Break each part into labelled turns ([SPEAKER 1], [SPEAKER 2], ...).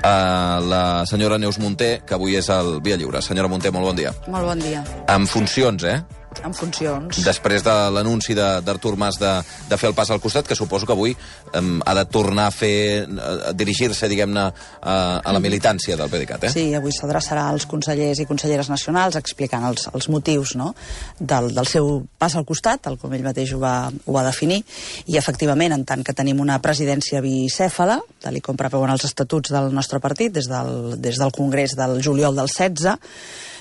[SPEAKER 1] la senyora Neus Munté, que avui és al Via Lliure. Senyora Munté, molt bon dia.
[SPEAKER 2] Molt bon dia.
[SPEAKER 1] En funcions,
[SPEAKER 2] En funcions.
[SPEAKER 1] Després de l'anunci d'Artur Mas de fer el pas al costat, que suposo que avui ha de tornar a dirigir-se, diguem-ne, a la militància del PDeCAT,
[SPEAKER 2] Sí, avui s'adreçarà als consellers i conselleres nacionals explicant els motius, no?, del seu pas al costat, tal com ell mateix ho va definir, i efectivament, en tant que tenim una presidència bicèfala, tal com preveuen els estatuts del nostre partit, des del Congrés del juliol del 16,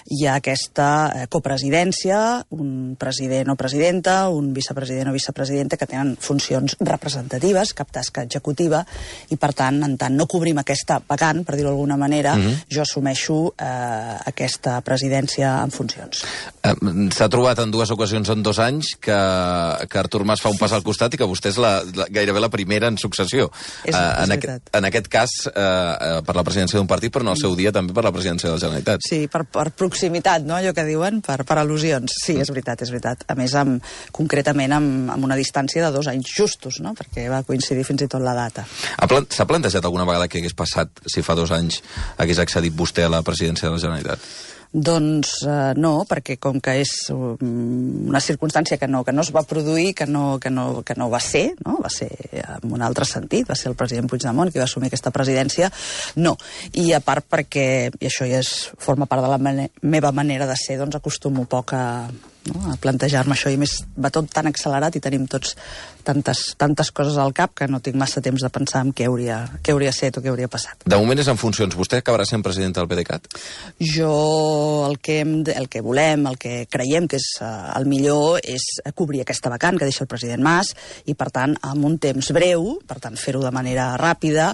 [SPEAKER 2] hi ha aquesta copresidència, un president o presidenta, un vicepresident o vicepresidenta que tenen funcions representatives, cap tasca executiva, i per tant, en tant no cobrim aquesta vacant, per dir-ho d'alguna manera, jo assumeixo aquesta presidència en funcions.
[SPEAKER 1] S'ha trobat en dues ocasions en 2 anys que Artur Mas fa un pas al costat i que vostè és gairebé la primera en successió.
[SPEAKER 2] És veritat.
[SPEAKER 1] En aquest cas, per la presidència d'un partit, però en el seu dia també per la presidència de la Generalitat.
[SPEAKER 2] Sí, per proximitat, no?, allò que diuen, per al·lusions. Sí, és veritat, és veritat. A més, concretament amb una distància de 2 anys justos, no?, perquè va coincidir fins i tot la data.
[SPEAKER 1] S'ha plantejat alguna vegada què hagués passat si fa 2 anys hagués accedit vostè a la presidència de la Generalitat?
[SPEAKER 2] Doncs no, perquè com que és una circumstància que no es va produir, que no va ser, no? Va ser en un altre sentit, va ser el president Puigdemont qui va assumir aquesta presidència, no. I a part perquè, i això ja forma part de la meva manera de ser, doncs acostumo poc a plantejar-me això, i més va tot tan accelerat i tenim tots tantes coses al cap que no tinc massa temps de pensar en què hauria set o què hauria passat.
[SPEAKER 1] De moment és en funcions. Vostè acabarà sent president del PDeCAT?
[SPEAKER 2] Jo el que volem, el que creiem que és el millor és cobrir aquesta vacant que deixa el president Mas i, per tant, en un temps breu, per tant, fer-ho de manera ràpida,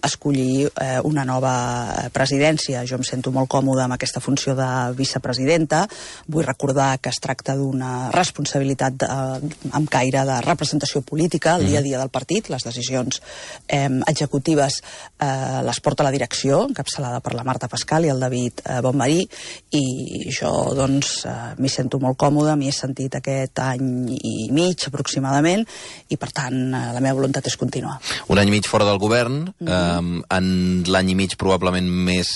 [SPEAKER 2] escollir una nova presidència. Jo em sento molt còmode amb aquesta funció de vicepresidenta. Vull recordar que es tracta d'una responsabilitat amb caire de representació política al dia a dia del partit. Les decisions executives les porta la direcció, encapçalada per la Marta Pascal i el David Bonmarí, i jo, doncs, m'hi sento molt còmode, m'hi he sentit aquest any i mig, aproximadament, i, per tant, la meva voluntat és continuar.
[SPEAKER 1] Un any i mig fora del govern, en l'any i mig probablement més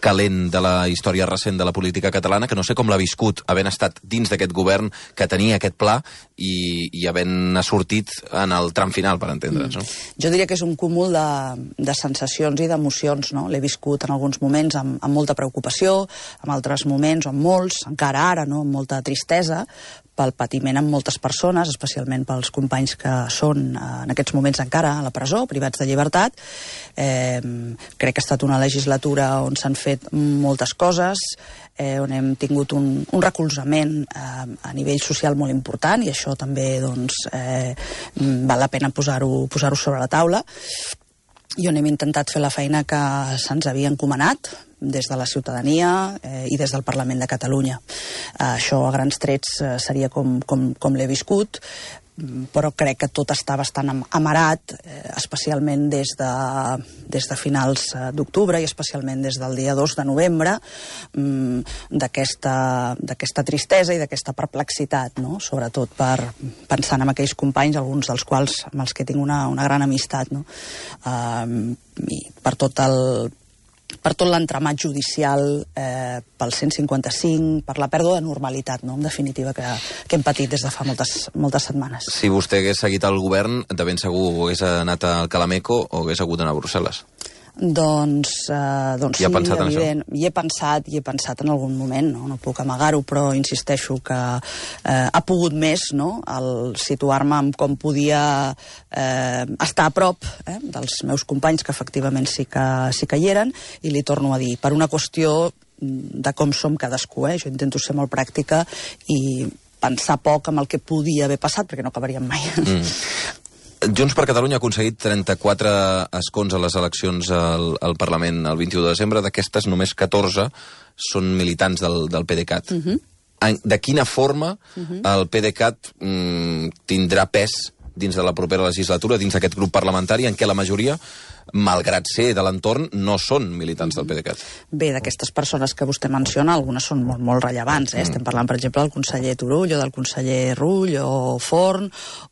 [SPEAKER 1] calent de la història recent de la política catalana, que no sé com l'ha viscut, havent estat dins d'aquest govern que tenia aquest pla i havent sortit en el tram final, per entendre'ns, no?
[SPEAKER 2] Jo diria que és un cúmul de sensacions i d'emocions, no? L'he viscut en alguns moments amb molta preocupació, en altres moments, o amb molts, encara ara, no?, amb molta tristesa, pel patiment amb moltes persones, especialment pels companys que són en aquests moments encara a la presó, privats de llibertat. Crec que ha estat una legislatura on s'han fet moltes coses, on hem tingut un recolzament a nivell social molt important, i això també, doncs, val la pena posar-ho sobre la taula, i on hem intentat fer la feina que se'ns havia encomanat des de la ciutadania i des del Parlament de Catalunya. Això, a grans trets, seria com l'he viscut, però crec que tot està bastant amarat, especialment des de finals d'octubre i especialment des del dia 2 de novembre, d'aquesta tristesa i d'aquesta perplexitat, no?, sobretot pensant en aquells companys, alguns dels quals amb els que tinc una gran amistat, no?, i per tot l'entramat judicial, pel 155, per la pèrdua de normalitat, no?, en definitiva, que hem patit des de fa moltes setmanes.
[SPEAKER 1] Si vostè hagués seguit al govern, de ben segur hagués anat al Calameco o hagués hagut d'anar a Brussel·les?
[SPEAKER 2] Doncs sí,
[SPEAKER 1] evident.
[SPEAKER 2] Hi he pensat en algun moment, no puc amagar-ho, però insisteixo que ha pogut més, no?, el situar-me en com podia estar a prop dels meus companys, que efectivament sí que hi eren, i li torno a dir, per una qüestió de com som cadascú, jo intento ser molt pràctica i pensar poc en el que podia haver passat, perquè no acabaríem mai.
[SPEAKER 1] Junts per Catalunya ha aconseguit 34 escons a les eleccions al Parlament el 21 de desembre. D'aquestes, només 14 són militants del PDeCAT. De quina forma el PDeCAT tindrà pes dins de la propera legislatura, dins d'aquest grup parlamentari, en què la majoria malgrat ser de l'entorn, no són militants del PDeCAT.
[SPEAKER 2] Bé, d'aquestes persones que vostè menciona, algunes són molt, molt rellevants. Estem parlant, per exemple, del conseller Turull o del conseller Rull o Forn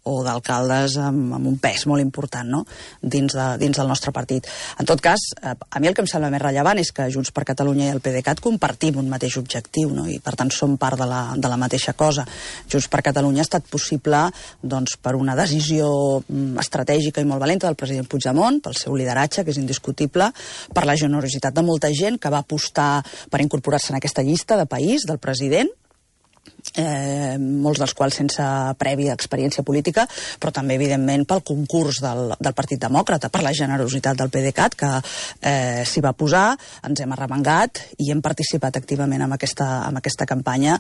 [SPEAKER 2] o d'alcaldes amb un pes molt important, no?, dins del nostre partit. En tot cas, a mi el que em sembla més rellevant és que Junts per Catalunya i el PDeCAT compartim un mateix objectiu, no?, i per tant som part de la mateixa cosa. Junts per Catalunya ha estat possible doncs, per una decisió estratègica i molt valenta del president Puigdemont, pel seu lideratge, que és indiscutible, per la generositat de molta gent que va apostar per incorporar-se en aquesta llista de país del president, molts dels quals sense prèvia experiència política, però també, evidentment, pel concurs del Partit Demòcrata, per la generositat del PDeCAT, que s'hi va posar, ens hem arremangat i hem participat activament en aquesta campanya,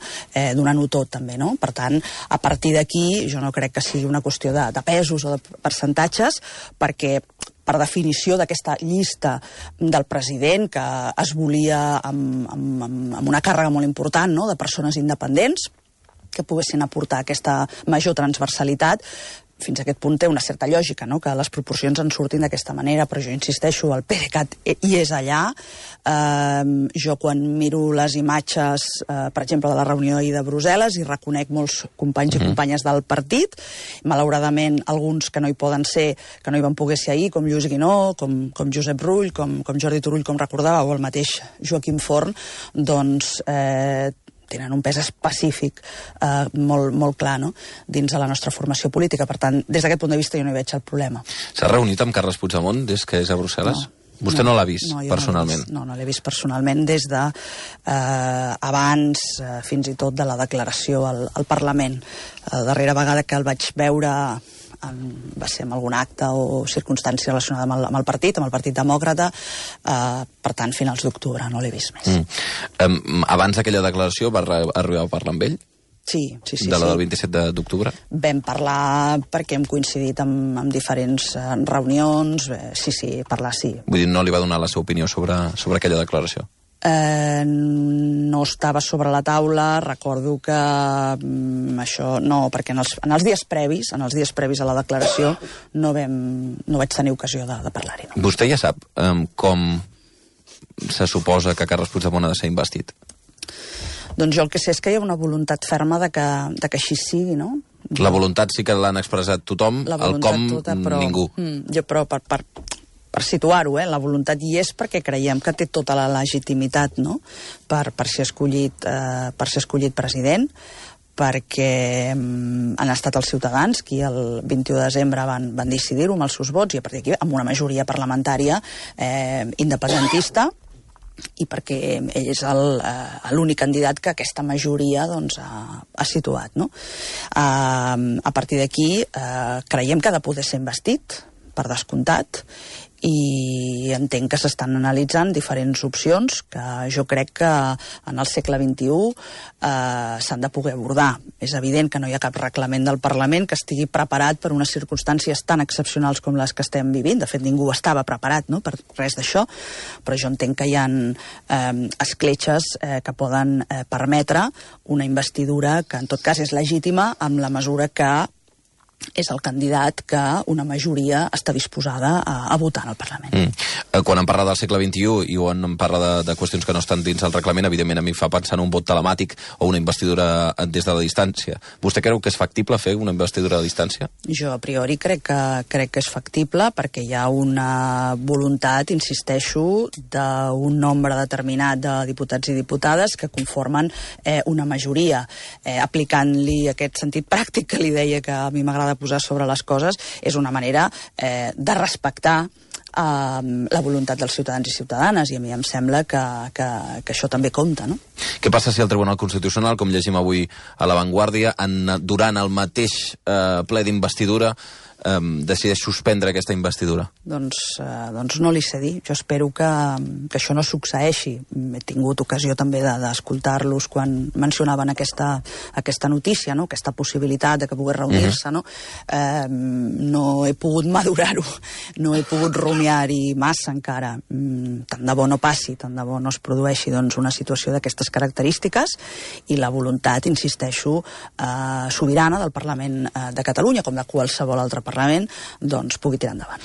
[SPEAKER 2] donant-ho tot, també, no? Per tant, a partir d'aquí, jo no crec que sigui una qüestió de pesos o de percentatges, perquè per definició d'aquesta llista del president, que es volia amb una càrrega molt important, no?, de persones independents que poguessin aportar aquesta major transversalitat, fins a aquest punt té una certa lògica, no?, que les proporcions en surtin d'aquesta manera, però jo insisteixo, el PDeCAT hi és allà. Jo quan miro les imatges, per exemple, de la reunió ahir de Brussel·les, i reconec molts companys i companyes del partit, malauradament alguns que no hi poden ser, que no hi van poder ser ahir, com Lluís Guinó, com Josep Rull, com Jordi Turull, com recordava, o el mateix Joaquim Forn, doncs tenen un pes específic molt clar, no?, dins de la nostra formació política. Per tant, des d'aquest punt de vista jo no hi veig el problema.
[SPEAKER 1] S'ha reunit amb Carles Puigdemont des que és a Brussel·les? No. Vostè no l'ha vist personalment?
[SPEAKER 2] No l'he vist personalment des de abans, fins i tot de la declaració al Parlament. La darrera vegada que el vaig veure va ser en algun acte o circumstància relacionada amb el partit Demòcrata, per tant, finals d'octubre, no l'he vist més.
[SPEAKER 1] Abans d'aquella declaració va arribar a parlar amb ell?
[SPEAKER 2] Sí.
[SPEAKER 1] De la del 27 d'octubre?
[SPEAKER 2] Vam parlar perquè hem coincidit amb diferents reunions, sí, parlar sí.
[SPEAKER 1] Vull dir, no li va donar la seva opinió sobre aquella declaració?
[SPEAKER 2] No estava sobre la taula, recordo que això no, perquè en els dies previs a la declaració no vaig tenir ocasió de parlar-hi. No.
[SPEAKER 1] Vostè ja sap com se suposa que Carles Puigdemont ha de ser investit?
[SPEAKER 2] Doncs jo el que sé és que hi ha una voluntat ferma de que així sigui, no?
[SPEAKER 1] La voluntat sí que l'han expressat tothom, el com ningú.
[SPEAKER 2] Però per situar-ho, la voluntat hi és perquè creiem que té tota la legitimitat, no?, per ser escollit president, perquè han estat els ciutadans qui el 21 de desembre van decidir-ho amb els seus vots, i a partir d'aquí amb una majoria parlamentària independentista, i perquè ell és l'únic candidat que aquesta majoria doncs, ha situat, no? A partir d'aquí creiem que ha de poder ser investit, per descomptat, i entenc que s'estan analitzant diferents opcions que jo crec que en el segle XXI s'han de poder abordar. És evident que no hi ha cap reglament del Parlament que estigui preparat per unes circumstàncies tan excepcionals com les que estem vivint. De fet, ningú estava preparat, no?, per res d'això, però jo entenc que hi ha escletxes que poden permetre una investidura que en tot cas és legítima en la mesura que és el candidat que una majoria està disposada a votar en el Parlament.
[SPEAKER 1] Quan em parla del segle XXI i quan em parla de qüestions que no estan dins el reglament, evidentment a mi em fa pensar en un vot telemàtic o una investidura des de la distància. Vostè creu que és factible fer una investidura a distància?
[SPEAKER 2] Jo a priori crec que és factible perquè hi ha una voluntat, insisteixo, d'un nombre determinat de diputats i diputades que conformen una majoria. Aplicant-li aquest sentit pràctic que li deia que a mi m'agrada posar sobre les coses, és una manera de respectar la voluntat dels ciutadans i ciutadanes, i a mi em sembla que això també compta, no?
[SPEAKER 1] Què passa si el Tribunal Constitucional, com llegim avui a La Vanguardia, durant el mateix ple d'investidura decideix suspendre aquesta investidura?
[SPEAKER 2] Doncs no li sé dir. Jo espero que això no succeeixi. He tingut ocasió també d'escoltar-los quan mencionaven aquesta notícia, no?, aquesta possibilitat de que pogués reunir-se, no? No he pogut madurar-ho, no he pogut rumiar-hi massa encara. Tant de bo no passi, tant de bo no es produeixi doncs, una situació d'aquestes característiques, i la voluntat, insisteixo, sobirana del Parlament de Catalunya, com de qualsevol altre parlament Parlament, doncs pugui tirar endavant.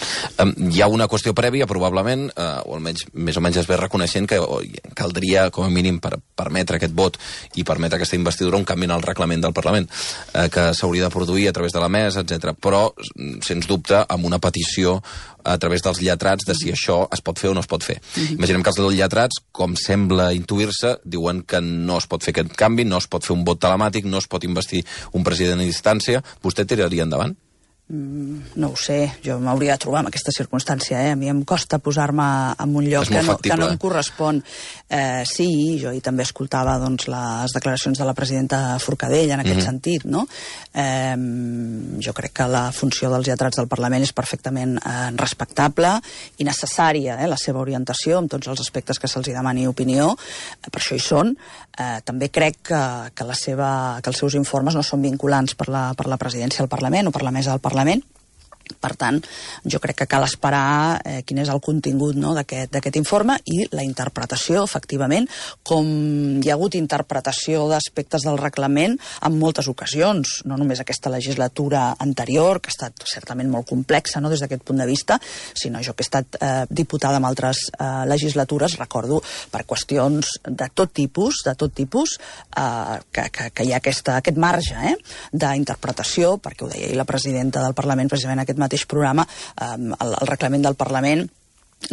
[SPEAKER 1] Hi ha una qüestió prèvia, probablement, o almenys més o menys es ve reconeixent que caldria, com a mínim, per permetre aquest vot i permetre aquesta investidura, un canvi en el reglament del Parlament, que s'hauria de produir a través de la mesa, etc. Però, sens dubte, amb una petició a través dels lletrats de si això es pot fer o no es pot fer. Imaginem que els lletrats, com sembla intuir-se, diuen que no es pot fer aquest canvi, no es pot fer un vot telemàtic, no es pot investir un president a distància. Vostè tiraria endavant?
[SPEAKER 2] No ho sé, jo m'hauria de trobar en aquesta circumstància, A mi em costa posar-me en un lloc que no em correspon. Sí, jo hi també escoltava doncs, les declaracions de la presidenta Forcadell en aquest sentit, no? Jo crec que la funció dels lletrats del Parlament és perfectament respectable i necessària, la seva orientació amb tots els aspectes que se'ls demani opinió, per això hi són. També crec que els seus informes no són vinculants per la presidència del Parlament o per la mesa del Parlament. Per tant, jo crec que cal esperar quin és el contingut d'aquest informe i la interpretació, efectivament, com hi ha hagut interpretació d'aspectes del reglament en moltes ocasions, no només aquesta legislatura anterior, que ha estat certament molt complexa des d'aquest punt de vista, sinó jo que he estat diputada en altres legislatures, recordo per qüestions de tot tipus, que hi ha aquest marge d'interpretació, perquè ho deia la presidenta del Parlament precisament en aquest mateix programa, el reglament del Parlament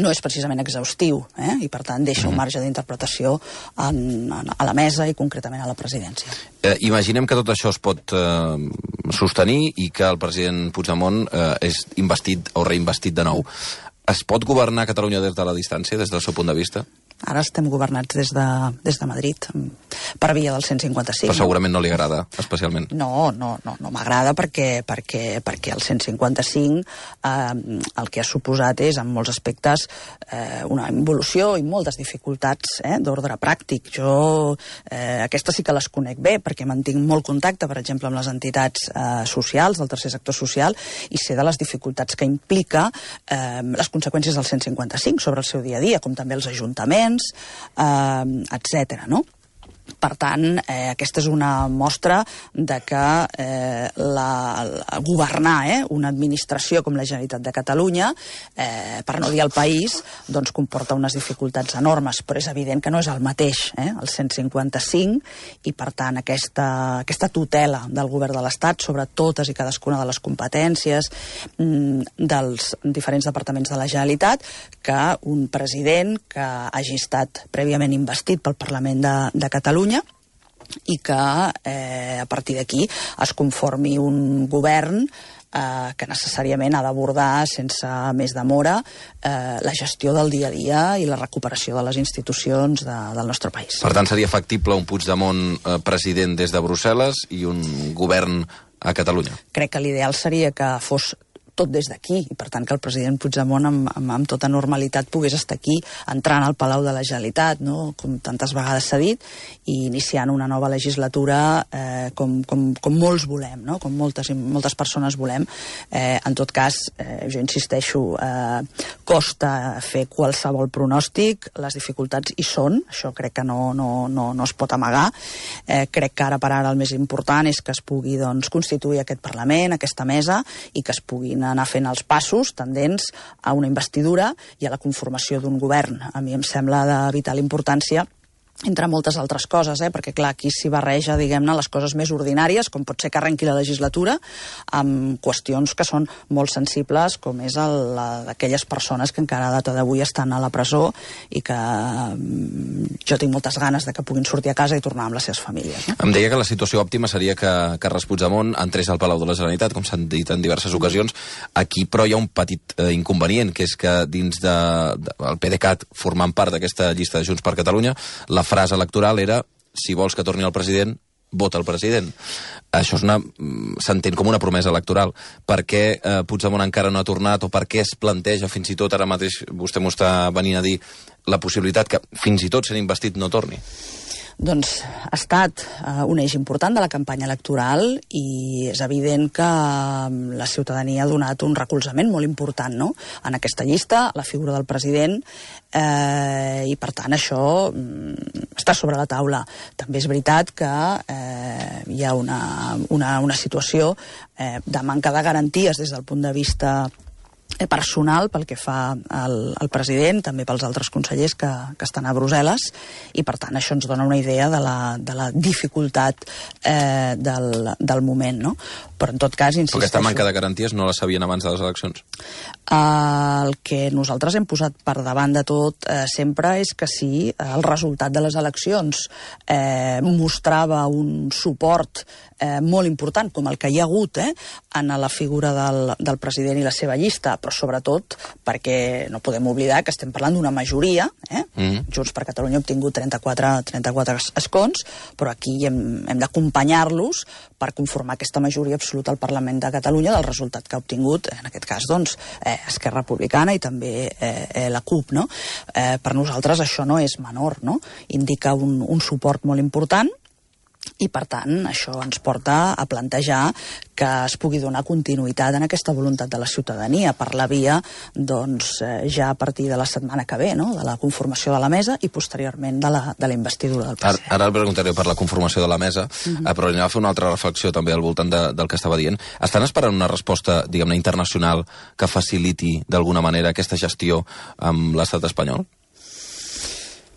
[SPEAKER 2] no és precisament exhaustiu, i per tant deixa un marge d'interpretació a la mesa i concretament a la presidència.
[SPEAKER 1] Imaginem que tot això es pot sostenir i que el president Puigdemont és investit o reinvestit de nou. Es pot governar Catalunya des de la distància, des del seu punt de vista?
[SPEAKER 2] Ara estem governats des de Madrid, per via del 155.
[SPEAKER 1] Però segurament no li agrada, especialment.
[SPEAKER 2] No m'agrada perquè el 155 el que ha suposat és, en molts aspectes, una involució i moltes dificultats d'ordre pràctic. Jo aquestes sí que les conec bé, perquè mantinc molt contacte, per exemple, amb les entitats socials, del tercer sector social, i sé de les dificultats que implica les conseqüències del 155 sobre el seu dia a dia, com també els ajuntaments, etc. Per tant, aquesta és una mostra de que governar una administració com la Generalitat de Catalunya, per no dir el país, doncs comporta unes dificultats enormes, però és evident que no és el mateix, el 155, i per tant aquesta tutela del govern de l'Estat sobre totes i cadascuna de les competències dels diferents departaments de la Generalitat, que un president que hagi estat prèviament investit pel Parlament de Catalunya i que a partir d'aquí es conformi un govern que necessàriament ha d'abordar sense més demora la gestió del dia a dia i la recuperació de les institucions del nostre país.
[SPEAKER 1] Per tant, seria factible un Puigdemont president des de Brussel·les i un govern a Catalunya?
[SPEAKER 2] Crec que l'ideal seria que fos tot des d'aquí, i per tant que el president Puigdemont amb tota normalitat pogués estar aquí, entrant al Palau de la Generalitat, com tantes vegades s'ha dit, i iniciant una nova legislatura com molts volem, com moltes persones volem. En tot cas, jo insisteixo, costa fer qualsevol pronòstic, les dificultats hi són, això crec que no es pot amagar. Crec que ara per ara el més important és que es pugui constituir aquest Parlament, aquesta mesa, i que es puguin anar fent els passos tendents a una investidura i a la conformació d'un govern. A mi em sembla de vital importància, entre moltes altres coses, perquè clar, aquí s'hi barreja, diguem-ne, les coses més ordinàries, com pot ser que arrenqui la legislatura, amb qüestions que són molt sensibles, com és d'aquelles persones que encara a data d'avui estan a la presó i que jo tinc moltes ganes de que puguin sortir a casa i tornar amb les seves famílies.
[SPEAKER 1] Em deia que la situació òptima seria que Carles Puigdemont entrés al Palau de la Generalitat, com s'han dit en diverses ocasions. Aquí, però, hi ha un petit inconvenient, que és que dins del PDeCAT, formant part d'aquesta llista de Junts per Catalunya, la frase electoral era: si vols que torni el president, vota el president. Això s'entén com una promesa electoral. Per què Puigdemont encara no ha tornat, o per què es planteja fins i tot, ara mateix vostè m'ho està venint a dir, la possibilitat que fins i tot sent investit no torni?
[SPEAKER 2] Doncs ha estat un eix important de la campanya electoral i és evident que la ciutadania ha donat un recolzament molt important, no?, en aquesta llista, la figura del president, i per tant això està sobre la taula. També és veritat que hi ha una situació de manca de garanties des del punt de vista personal pel que fa al president, també pels altres consellers que estan a Brussel·les, i per tant això ens dona una idea de la dificultat del moment, no? Però en tot cas, insisteixo...
[SPEAKER 1] Però aquesta manca de garanties no la sabien abans de les eleccions?
[SPEAKER 2] El que nosaltres hem posat per davant de tot sempre és que si el resultat de les eleccions mostrava un suport molt important, com el que hi ha hagut en la figura del president i la seva llista, però sobretot perquè no podem oblidar que estem parlant d'una majoria, Junts per Catalunya ha obtingut 34 escons, però aquí hem d'acompanyar-los per conformar aquesta majoria absoluta al Parlament de Catalunya del resultat que ha obtingut, en aquest cas, doncs, Esquerra Republicana i també la CUP, no? Per nosaltres això no és menor, no? Indica un suport molt important, i per tant això ens porta a plantejar que es pugui donar continuïtat en aquesta voluntat de la ciutadania per la via, doncs, ja a partir de la setmana que ve, no?, de la conformació de la mesa i posteriorment de la investidura del president.
[SPEAKER 1] Ara el preguntaré per la conformació de la mesa, però anem a fer una altra reflexió també al voltant del que estava dient. Estan esperant una resposta, diguem-ne, internacional que faciliti d'alguna manera aquesta gestió amb l'estat espanyol?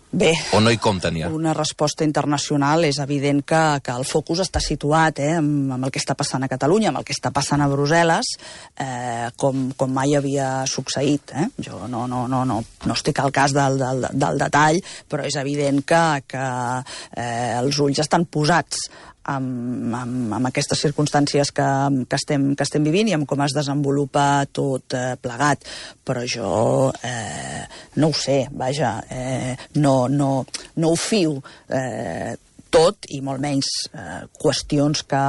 [SPEAKER 2] Bé,
[SPEAKER 1] o no hi compten ja?
[SPEAKER 2] Una resposta internacional és evident que el focus està situat amb el que està passant a Catalunya, amb el que està passant a Brussel·les, com mai havia succeït. Jo no estic al cas del detall, però és evident que els ulls estan posats amb aquestes circumstàncies que estem vivint i amb com es desenvolupa tot plegat. Però jo no ho sé, vaja, no ho fio tot, i molt menys qüestions que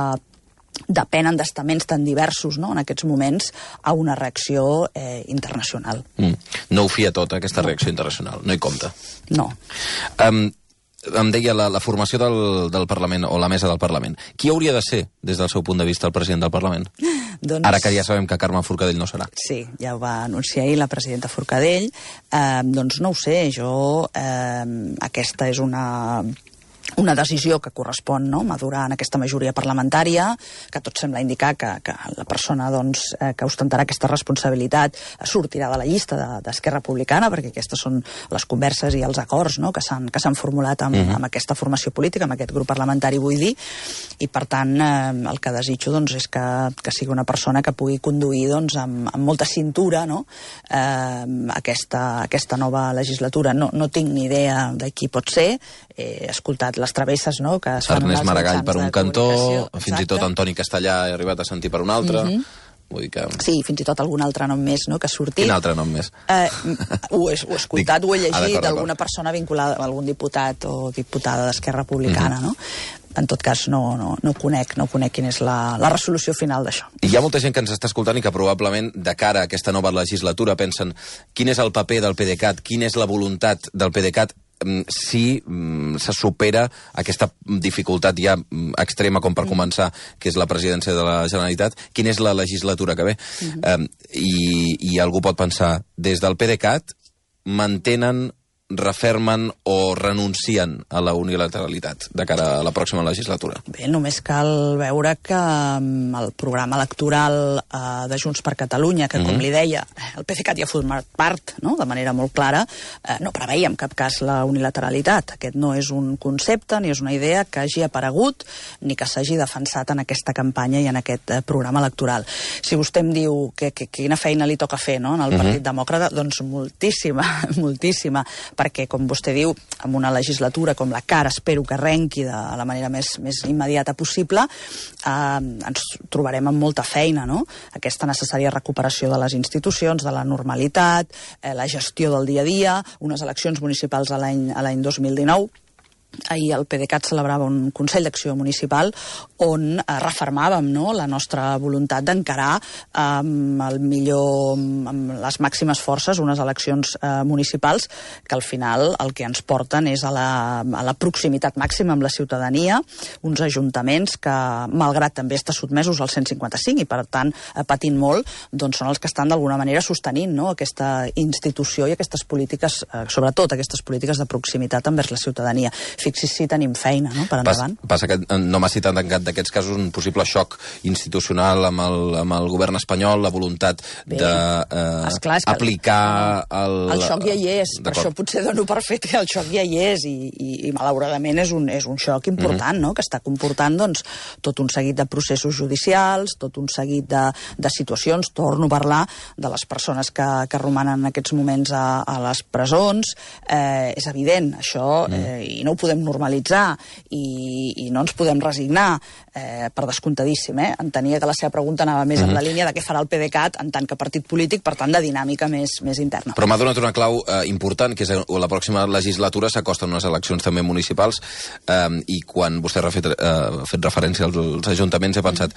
[SPEAKER 2] depenen d'estaments tan diversos, no?, en aquests moments, a una reacció internacional.
[SPEAKER 1] No ho fia tot, aquesta reacció internacional, no hi compta?
[SPEAKER 2] No.
[SPEAKER 1] Em deia la formació del Parlament, o la mesa del Parlament. Qui hauria de ser, des del seu punt de vista, el president del Parlament?
[SPEAKER 2] Doncs...
[SPEAKER 1] Ara que ja sabem que Carme Forcadell no serà.
[SPEAKER 2] Sí, ja ho va anunciar ahir la presidenta Forcadell. Doncs no ho sé, aquesta és una decisió que correspon, no?, madurar en aquesta majoria parlamentària, que tot sembla indicar que la persona, doncs, que ostentarà aquesta responsabilitat sortirà de la llista d'Esquerra Republicana, perquè aquestes són les converses i els acords, no?, que s'han formulat amb aquesta formació política, amb aquest grup parlamentari, vull dir, i per tant el que desitjo, doncs, és que sigui una persona que pugui conduir, doncs, amb molta cintura, no?, aquesta nova legislatura. No tinc ni idea de qui pot ser, he escoltat les travesses, no?, que es fan
[SPEAKER 1] Ernest Maragall per un cantó, fins i tot
[SPEAKER 2] Exacte.
[SPEAKER 1] Antoni Castellà he arribat a sentir per un altre. Vull dir que...
[SPEAKER 2] Sí, fins i tot algun altre nom més, no?, que ha sortit.
[SPEAKER 1] Quin altre nom més?
[SPEAKER 2] Ho he escoltat, ho he llegit d'alguna persona vinculada a algun diputat o diputada d'Esquerra Republicana, no? En tot cas, no conec quina és la resolució final d'això.
[SPEAKER 1] Hi ha molta gent que ens està escoltant i que probablement de cara a aquesta nova legislatura pensen quin és el paper del PDeCAT, quina és la voluntat del PDeCAT si se supera aquesta dificultat ja extrema com per començar, que és la presidència de la Generalitat, quina és la legislatura que ve. I algú pot pensar, des del PDeCAT mantenen, refermen o renuncien a la unilateralitat de cara a la pròxima legislatura?
[SPEAKER 2] Bé, només cal veure que el programa electoral de Junts per Catalunya, que com li deia, el PDeCAT ja ha format part, no?, de manera molt clara, no preveia en cap cas la unilateralitat. Aquest no és un concepte ni és una idea que hagi aparegut ni que s'hagi defensat en aquesta campanya i en aquest programa electoral. Si vostè em diu que quina feina li toca fer, no?, en el Partit Demòcrata, doncs moltíssima, perquè, com vostè diu, amb una legislatura com la que ara espero que arrenqui de la manera més immediata possible, ens trobarem amb molta feina, no?, aquesta necessària recuperació de les institucions, de la normalitat, la gestió del dia a dia, unes eleccions municipals a l'any 2019, ahir el PDeCAT celebrava un Consell d'Acció Municipal on refermàvem la nostra voluntat d'encarar amb les màximes forces unes eleccions municipals que al final el que ens porten és a la proximitat màxima amb la ciutadania, uns ajuntaments que, malgrat també estar sotmesos al 155 i per tant patint molt, doncs són els que estan d'alguna manera sostenint aquesta institució i aquestes polítiques, sobretot aquestes polítiques de proximitat envers la ciutadania. Fixi's si tenim feina, per endavant.
[SPEAKER 1] Passa que no m'ha citat en cap d'aquests casos un possible xoc institucional amb el govern espanyol, la voluntat d'aplicar
[SPEAKER 2] el xoc ja hi és, per això potser dono per fet que el xoc ja hi és i malauradament és un xoc important, que està comportant tot un seguit de processos judicials, tot un seguit de situacions. Torno a parlar de les persones que romanen en aquests moments a les presons. És evident, això, i no ho podem normalitzar i no ens podem resignar, per descomptadíssim. Entenia que la seva pregunta anava més en la línia de què farà el PDeCAT en tant que partit polític, per tant, de dinàmica més interna.
[SPEAKER 1] Però m'ha donat una clau important, que és que la pròxima legislatura s'acosten unes eleccions també municipals, i quan vostè ha fet referència als ajuntaments he pensat,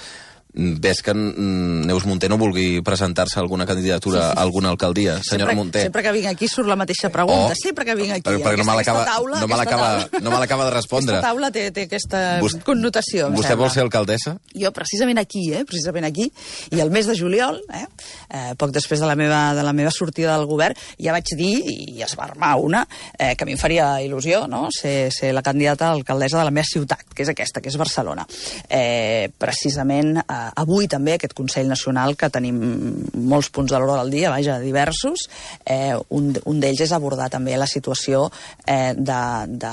[SPEAKER 1] ves que Neus Munté no vulgui presentar-se a alguna candidatura a alguna alcaldia, senyora Munté.
[SPEAKER 2] Sempre que vinc aquí surt la mateixa pregunta, sempre que vinc aquí.
[SPEAKER 1] Perquè no me l'acaba de respondre.
[SPEAKER 2] Aquesta taula té aquesta connotació.
[SPEAKER 1] Vostè vol ser alcaldessa?
[SPEAKER 2] Jo precisament aquí, i el mes de juliol, poc després de la meva sortida del govern, ja vaig dir, i es va armar una, que a mi em faria il·lusió, ser la candidata a alcaldessa de la meva ciutat, que és aquesta, que és Barcelona. Precisament avui també aquest Consell Nacional, que tenim molts punts de l'ordre del dia, diversos, un d'ells és abordar també la situació del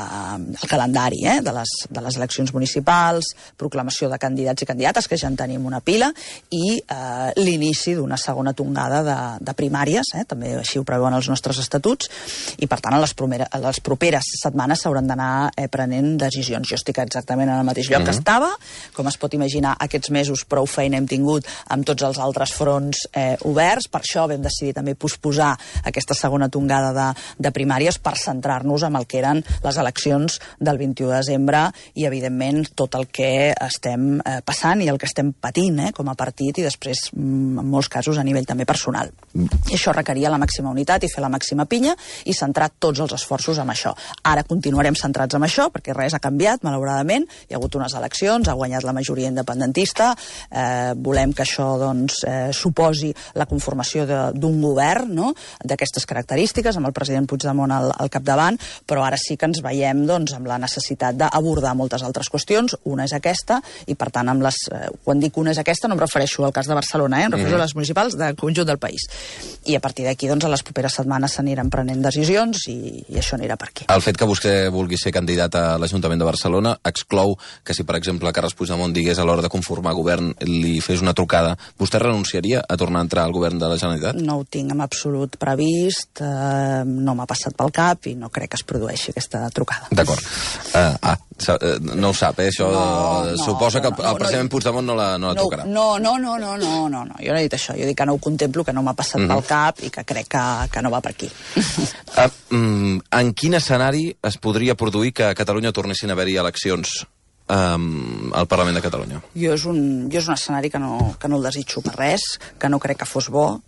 [SPEAKER 2] calendari de les eleccions municipals, proclamació de candidats i candidates, que ja en tenim una pila, i l'inici d'una segona tongada de primàries, també així ho preveuen els nostres estatuts, i per tant a les properes setmanes s'hauran d'anar prenent decisions. Jo estic exactament en el mateix lloc que estava, com es pot imaginar, aquests mesos prou feina hem tingut amb tots els altres fronts oberts, per això vam decidir també posposar aquesta segona tongada de primàries per centrar-nos en el que eren les eleccions del 21 de desembre i, evidentment, tot el que estem passant i el que estem patint com a partit i després, en molts casos, a nivell també personal. I això requeria la màxima unitat i fer la màxima pinya i centrar tots els esforços en això. Ara continuarem centrats en això, perquè res ha canviat, malauradament. Hi ha hagut unes eleccions, ha guanyat la majoria independentista, volem que això suposi la conformació d'un govern d'aquestes característiques, amb el president Puigdemont al capdavant, però ara sí que ens veiem amb la necessitat d'abordar moltes altres qüestions. Una és aquesta, i per tant, quan dic una és aquesta, no em refereixo al cas de Barcelona, em refereixo a les municipals del conjunt del país. I a partir d'aquí, a les properes setmanes s'aniran prenent decisions i això anirà per aquí.
[SPEAKER 1] El fet que vostè vulgui ser candidat a l'Ajuntament de Barcelona exclou que si, per exemple, Carles Puigdemont digués a l'hora de conformar govern li fes una trucada, vostè renunciaria a tornar a entrar al govern de la Generalitat?
[SPEAKER 2] No ho tinc en absolut previst, no m'ha passat pel cap i no crec que es produeixi aquesta trucada.
[SPEAKER 1] D'acord. No ho sap, això? Suposa que el president Puigdemont no la trucarà.
[SPEAKER 2] No, jo no he dit això, jo dic que no ho contemplo, que no m'ha passat pel cap i que crec que no va per aquí.
[SPEAKER 1] En quin escenari es podria produir que a Catalunya tornessin a haver-hi eleccions al Parlament de Catalunya?
[SPEAKER 2] Jo és un escenari que no el desitjo per res, que no crec que fos bo.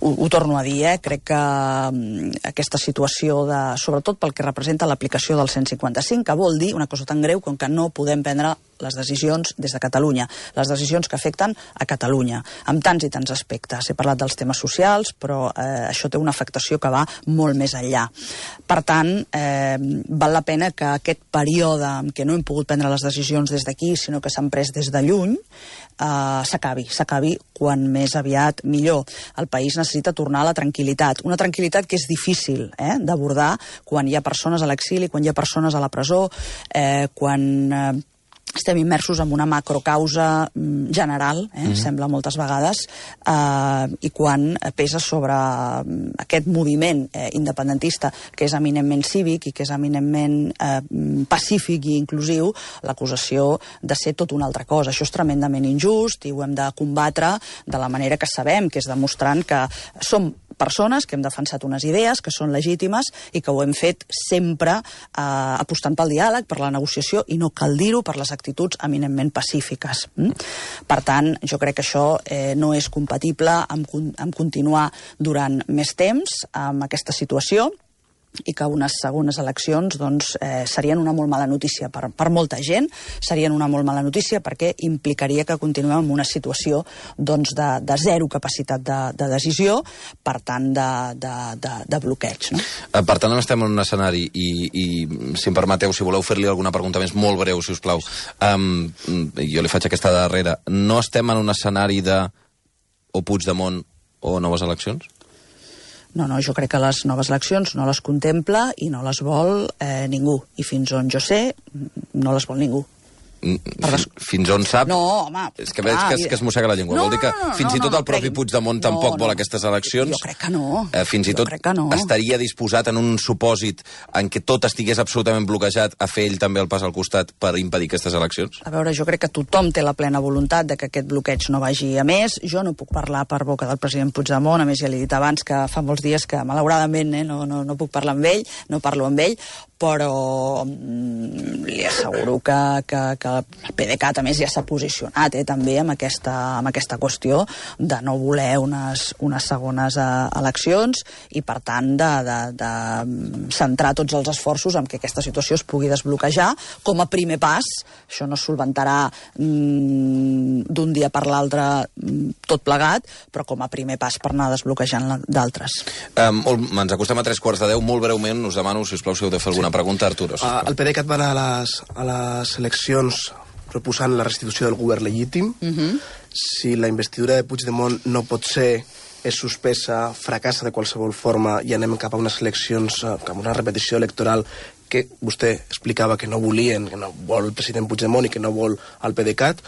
[SPEAKER 2] Ho torno a dir, crec que aquesta situació, sobretot pel que representa l'aplicació del 155, que vol dir una cosa tan greu com que no podem prendre les decisions des de Catalunya, les decisions que afecten a Catalunya, amb tants i tants aspectes. He parlat dels temes socials, però això té una afectació que va molt més enllà. Per tant, val la pena que aquest període en què no hem pogut prendre les decisions des d'aquí, sinó que s'han pres des de lluny, s'acabi quan més aviat millor. El país necessita tornar a la tranquil·litat, una tranquil·litat que és difícil d'abordar quan hi ha persones a l'exili, quan hi ha persones a la presó, quan estem immersos en una macrocausa general, sembla moltes vegades, i quan pesa sobre aquest moviment independentista, que és eminentment cívic i que és eminentment pacífic i inclusiu, l'acusació de ser tot una altra cosa. Això és tremendament injust i ho hem de combatre de la manera que sabem, que és demostrant que som persones que hem defensat unes idees que són legítimes i que ho hem fet sempre apostant pel diàleg, per la negociació i no cal dir-ho, per les actituds eminentment pacífiques. Per tant, jo crec que això no és compatible amb continuar durant més temps amb aquesta situació i que unes segones eleccions serien una molt mala notícia per molta gent, serien una molt mala notícia perquè implicaria que continuem en una situació de zero capacitat de decisió, per tant de bloqueig. No?
[SPEAKER 1] Per tant, estem en un escenari i si em permeteu, si voleu fer-li alguna pregunta més molt breu, si us plau, jo li faig aquesta darrera. No estem en un escenari de o Puigdemont o noves eleccions?
[SPEAKER 2] No, jo crec que les noves eleccions no les contempla i no les vol ningú. I fins on jo sé, no les vol ningú.
[SPEAKER 1] Fins on sap?
[SPEAKER 2] No, home...
[SPEAKER 1] És que veig que es mossega la llengua. Vol dir que fins i tot el propi Puigdemont tampoc vol aquestes eleccions?
[SPEAKER 2] Jo crec que no.
[SPEAKER 1] Fins i tot estaria disposat en un supòsit en què tot estigués absolutament bloquejat a fer ell també el pas al costat per impedir aquestes eleccions?
[SPEAKER 2] A veure, jo crec que tothom té la plena voluntat de que aquest bloqueig no vagi a més. Jo no puc parlar per boca del president Puigdemont, a més ja l'he dit abans que fa molts dies que malauradament no puc parlar amb ell, no parlo amb ell, però li asseguro que el PDeCAT, a més, ja s'ha posicionat també amb aquesta qüestió de no voler unes segones eleccions i, per tant, de centrar tots els esforços en que aquesta situació es pugui desbloquejar com a primer pas. Això no es solventarà d'un dia per l'altre tot plegat, però com a primer pas per anar desbloquejant d'altres.
[SPEAKER 1] Ens acostem a 3:45. Molt breument, us demano, si us plau, si heu de fer alguna pregunta, Arturo.
[SPEAKER 3] El PDeCAT va anar a les eleccions proposant la restitució del govern legítim. Si la investidura de Puigdemont no pot ser, és suspesa, fracassa de qualsevol forma i anem cap a unes eleccions, cap a una repetició electoral que vostè explicava que no volien, que no vol el president Puigdemont i que no vol el PDeCAT,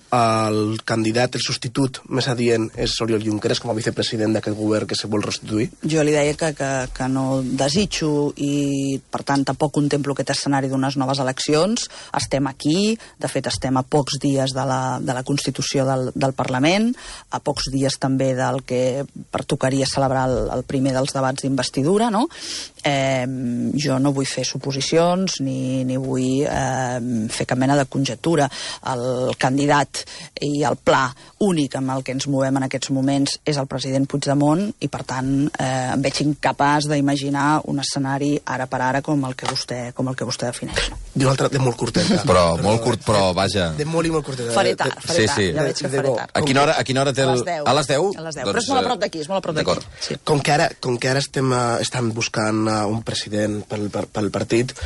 [SPEAKER 3] el candidat, el substitut més adient és Oriol Junqueras com a vicepresident d'aquest govern que se vol restituir?
[SPEAKER 2] Jo li deia que no desitjo i, per tant, tampoc contemplo aquest escenari d'unes noves eleccions. Estem aquí, de fet, estem a pocs dies de la Constitució del Parlament, a pocs dies també del que pertocaria celebrar el primer dels debats d'investidura, no? Jo no vull fer suposicions ni vull fer cap mena de conjectura. El candidat i el pla únic amb el que ens movem en aquests moments és el president Puigdemont i, per tant, em veig incapaç d'imaginar un escenari ara per ara com el que vostè defineix.
[SPEAKER 3] I un altre de molt curteta.
[SPEAKER 1] Però molt curt, però vaja...
[SPEAKER 3] De molt i molt curteta.
[SPEAKER 2] Faré tard, ja veig que faré tard.
[SPEAKER 1] A quina hora té el... A les 10?
[SPEAKER 2] A les 10, però és molt a prop d'aquí, és molt a prop d'aquí.
[SPEAKER 3] Sí. Com que ara estan buscant un president pel partit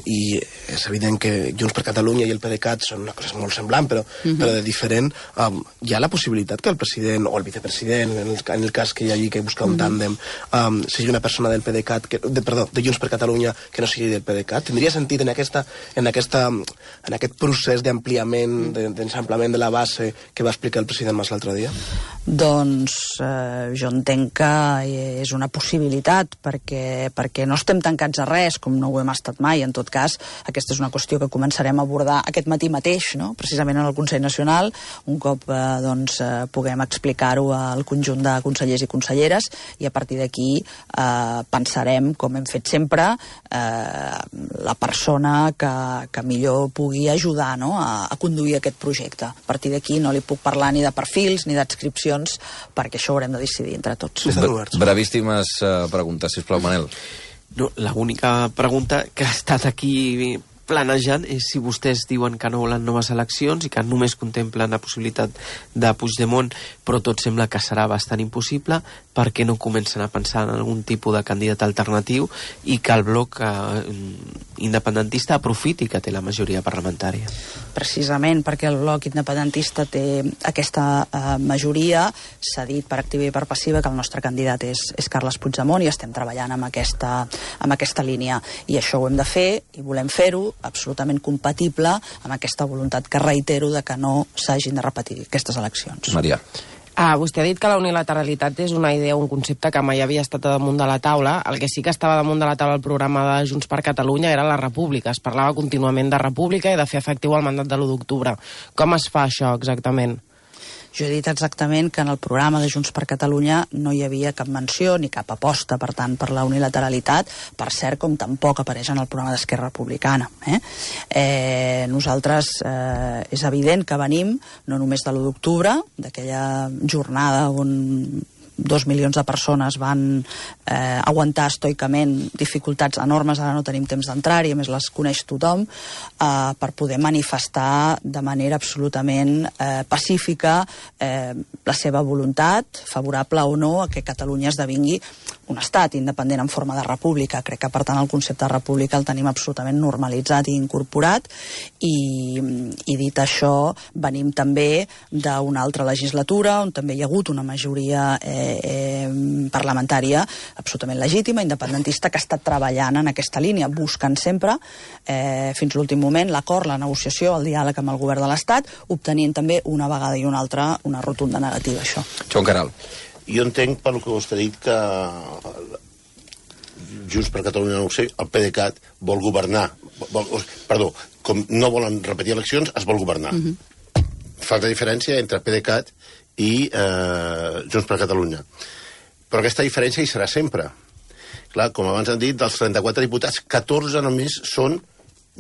[SPEAKER 3] i és evident que Junts per Catalunya i el PDeCAT són una cosa molt semblant, però de diferent. Hi ha la possibilitat que el president o el vicepresident, en el cas que hi hagi que buscar un tàndem, sigui una persona del PDeCAT, de Junts per Catalunya que no sigui del PDeCAT? Tindria sentit en aquest procés d'ampliament, d'ensamplament de la base que va explicar el president Mas l'altre dia?
[SPEAKER 2] Doncs jo entenc que és una possibilitat perquè no estem tancats a res, com no ho hem estat mai. En tot cas, aquesta és una qüestió que començarem a abordar aquest matí mateix, no? Precisament en el Consell Nacional, un cop puguem explicar-ho al conjunt de consellers i conselleres, i a partir d'aquí pensarem, com hem fet sempre, la persona que millor pugui ajudar, no?, a conduir aquest projecte. A partir d'aquí no li puc parlar ni de perfils ni d'adscripcions, perquè això ho haurem de decidir entre tots.
[SPEAKER 1] Brevíssimes preguntes, sisplau, Manel.
[SPEAKER 4] No, l'única pregunta que ha estat aquí planejant és si vostès diuen que no volen noves eleccions i que només contemplen la possibilitat de Puigdemont, però tot sembla que serà bastant impossible, per què no comencen a pensar en algun tipus de candidat alternatiu i que el bloc independentista aprofiti que té la majoria parlamentària?
[SPEAKER 2] Precisament perquè el bloc independentista té aquesta majoria, s'ha dit per activa i per passiva que el nostre candidat és Carles Puigdemont i estem treballant amb aquesta línia. I això ho hem de fer i volem fer-ho absolutament compatible amb aquesta voluntat que reitero de que no s'hagin de repetir aquestes eleccions.
[SPEAKER 1] Maria.
[SPEAKER 5] Vostè ha dit que la unilateralitat és una idea, un concepte que mai havia estat damunt de la taula. El que sí que estava damunt de la taula al programa de Junts per Catalunya era la república. Es parlava contínuament de república i de fer efectiu el mandat de l'1 d'octubre. Com es fa això exactament?
[SPEAKER 2] Jo he dit exactament que en el programa de Junts per Catalunya no hi havia cap menció ni cap aposta, per tant, per la unilateralitat, per cert, com tampoc apareix en el programa d'Esquerra Republicana. Nosaltres és evident que venim no només de l'1 d'octubre, d'aquella jornada on 2 milions de persones van aguantar estoicament dificultats enormes, ara no tenim temps d'entrar-hi, a més les coneix tothom, per poder manifestar de manera absolutament pacífica la seva voluntat, favorable o no, a que Catalunya esdevingui un estat independent en forma de república. Crec que, per tant, el concepte de república el tenim absolutament normalitzat i incorporat, i dit això, venim també d'una altra legislatura on també hi ha hagut una majoria parlamentària absolutament legítima, independentista, que ha estat treballant en aquesta línia, buscant sempre, fins a l'últim moment, l'acord, la negociació, el diàleg amb el govern de l'Estat, obtenint també una vegada i una altra una rotunda negativa, això.
[SPEAKER 1] Joan Queralt.
[SPEAKER 6] Jo entenc, per lo que vostè ha dit, que Junts per Catalunya, no ho sé, el PDeCAT vol governar. Com no volen repetir eleccions, es vol governar. Falta diferència entre PDeCAT i Junts per Catalunya. Però aquesta diferència hi serà sempre. Clar, com abans han dit, dels 34 diputats, 14 només són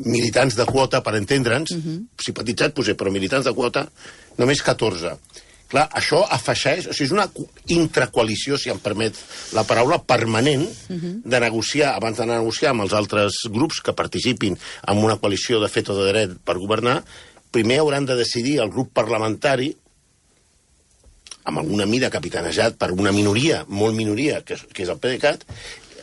[SPEAKER 6] militants de quota, per entendre'ns, simpatitzats, però militants de quota, només 14. Clar, això afegeix, o sigui, és una intracoalició, si em permet la paraula, permanent, de negociar, abans de negociar amb els altres grups que participin en una coalició de fet o de dret per governar, primer hauran de decidir el grup parlamentari, amb alguna mida capitanejat per una minoria, molt minoria, que és el PDeCAT.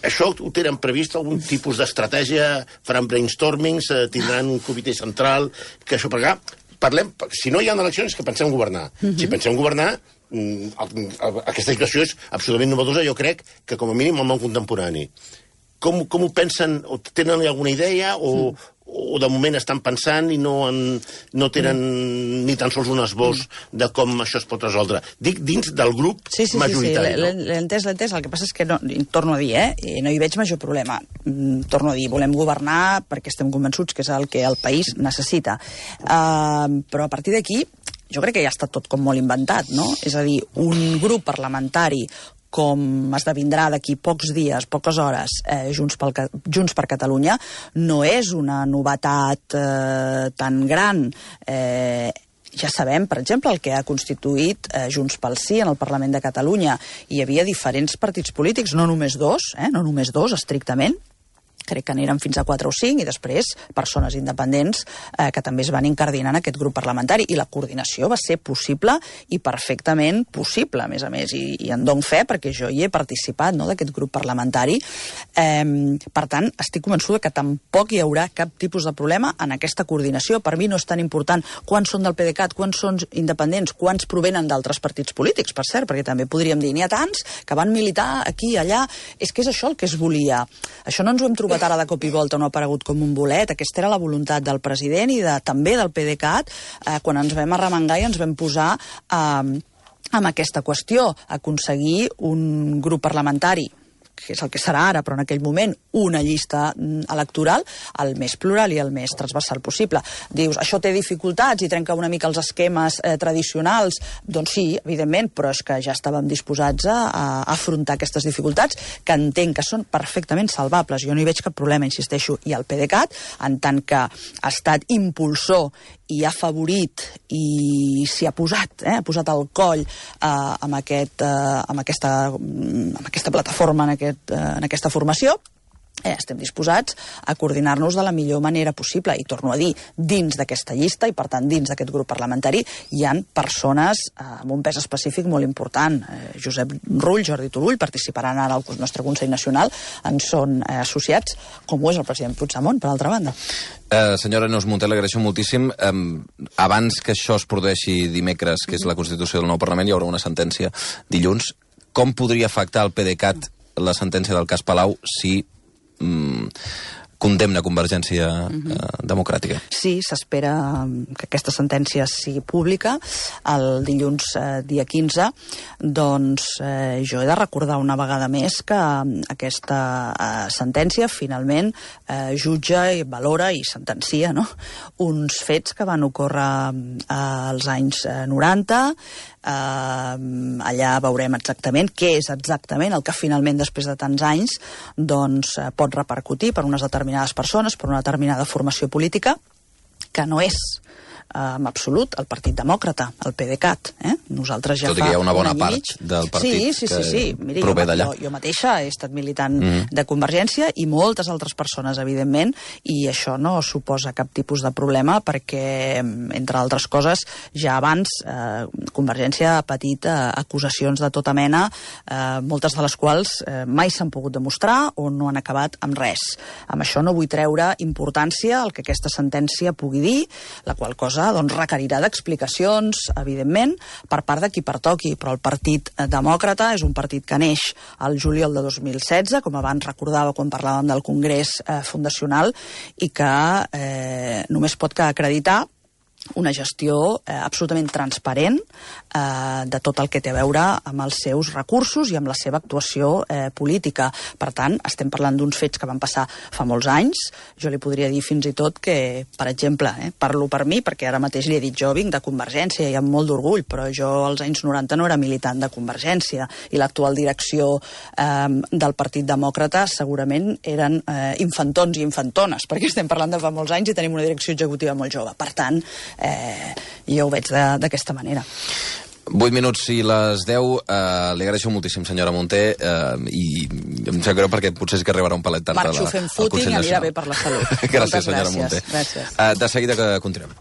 [SPEAKER 6] Això ho tenen previst, algun tipus d'estratègia, faran brainstormings, tindran un comitè central, que això per allà. Parlem, si no hi ha eleccions, que pensem governar. Si pensem governar, aquesta situació és absolutament novedosa, jo crec que com a mínim el món contemporani. Com ho pensen? O tenen alguna idea? O de moment estan pensant i no tenen ni tan sols un esbós de com això es pot resoldre? Dic dins del grup majoritari.
[SPEAKER 2] Sí, l'he entès. El que passa és que, torno a dir, no hi veig major problema. Torno a dir, volem governar perquè estem convençuts que és el que el país necessita. Però a partir d'aquí, jo crec que ja està tot com molt inventat, no? És a dir, un grup parlamentari com esdevindrà d'aquí pocs dies, poques hores, Junts per Catalunya, no és una novetat tan gran. Ja sabem, per exemple, el que ha constituït Junts pel Sí en el Parlament de Catalunya. Hi havia diferents partits polítics, no només dos, estrictament. Crec que n'eren fins a 4 o 5, i després persones independents que també es van incardinar en aquest grup parlamentari. I la coordinació va ser possible i perfectament possible, a més, i en dono fe perquè jo hi he participat, no?, d'aquest grup parlamentari. Per tant, estic convençuda que tampoc hi haurà cap tipus de problema en aquesta coordinació. Per mi no és tan important quants són del PDeCAT, quants són independents, quants provenen d'altres partits polítics, per cert, perquè també podríem dir, n'hi ha tants que van militar aquí, allà. És que és això el que es volia. Això no ens ho hem trobat ara de cop i volta, no ha aparegut com un bolet. Aquesta era la voluntat del president i també del PDeCAT quan ens vam arremangar i ens vam posar amb aquesta qüestió, aconseguir un grup parlamentari, que és el que serà ara, però en aquell moment una llista electoral el més plural i el més transversal possible. Dius, això té dificultats i trenca una mica els esquemes tradicionals? Doncs sí, evidentment, però és que ja estàvem disposats a afrontar aquestes dificultats, que entenc que són perfectament salvables. Jo no hi veig cap problema, insisteixo, i el PDeCAT, en tant que ha estat impulsor i ha favorit i s'hi ha posat, ha posat el coll amb aquesta plataforma, en aquesta formació, estem disposats a coordinar-nos de la millor manera possible. I torno a dir, dins d'aquesta llista i, per tant, dins d'aquest grup parlamentari hi han persones amb un pes específic molt important. Josep Rull, Jordi Turull participaran ara al nostre Consell Nacional, en són associats, com ho és el president Puigdemont, per altra banda.
[SPEAKER 1] Senyora Neus Munté, l'agraeixo moltíssim. Abans que això es produeixi dimecres, que és la Constitució del nou Parlament, hi haurà una sentència dilluns. Com podria afectar el PDeCAT la sentència del cas Palau si condemna Convergència Democràtica?
[SPEAKER 2] Sí, s'espera que aquesta sentència sigui pública el dilluns dia 15. Doncs jo he de recordar una vegada més que aquesta sentència finalment jutja i valora i sentencia, no?, uns fets que van ocórrer als anys 90, allà veurem exactament què és exactament el que finalment, després de tants anys, doncs, pot repercutir per unes determinades persones, per una determinada formació política, que no és en absolut el Partit Demòcrata, el PDeCAT. Nosaltres ja
[SPEAKER 1] tot i que hi ha una bona part del partit
[SPEAKER 2] que
[SPEAKER 1] miri, prové d'allà.
[SPEAKER 2] Jo mateixa he estat militant de Convergència i moltes altres persones, evidentment, i això no suposa cap tipus de problema perquè, entre altres coses, ja abans Convergència ha patit acusacions de tota mena, moltes de les quals mai s'han pogut demostrar o no han acabat amb res. Amb això no vull treure importància al que aquesta sentència pugui dir, la qual cosa doncs, requerirà d'explicacions, evidentment, per part de qui pertoqui, però el Partit Demòcrata és un partit que neix al juliol de 2016, com abans recordava quan parlàvem del Congrés Fundacional, i que només pot acreditar una gestió absolutament transparent de tot el que té a veure amb els seus recursos i amb la seva actuació política. Per tant, estem parlant d'uns fets que van passar fa molts anys. Jo li podria dir fins i tot que, per exemple, parlo per mi, perquè ara mateix li he dit jo vinc de Convergència i amb molt d'orgull, però jo als anys 90 no era militant de Convergència i l'actual direcció del Partit Demòcrata segurament eren infantons i infantones, perquè estem parlant de fa molts anys i tenim una direcció executiva molt jove. Per tant, jo ho veig d'aquesta manera.
[SPEAKER 1] 8 minuts i les 10. Li agraeixo moltíssim, senyora Munté, i em sap greu perquè potser és que arribarà un palet tard
[SPEAKER 2] Marxo fent footing i anirà bé per la salut.
[SPEAKER 1] Gràcies, senyora Munté.
[SPEAKER 2] Gràcies.
[SPEAKER 1] De seguida que continuem.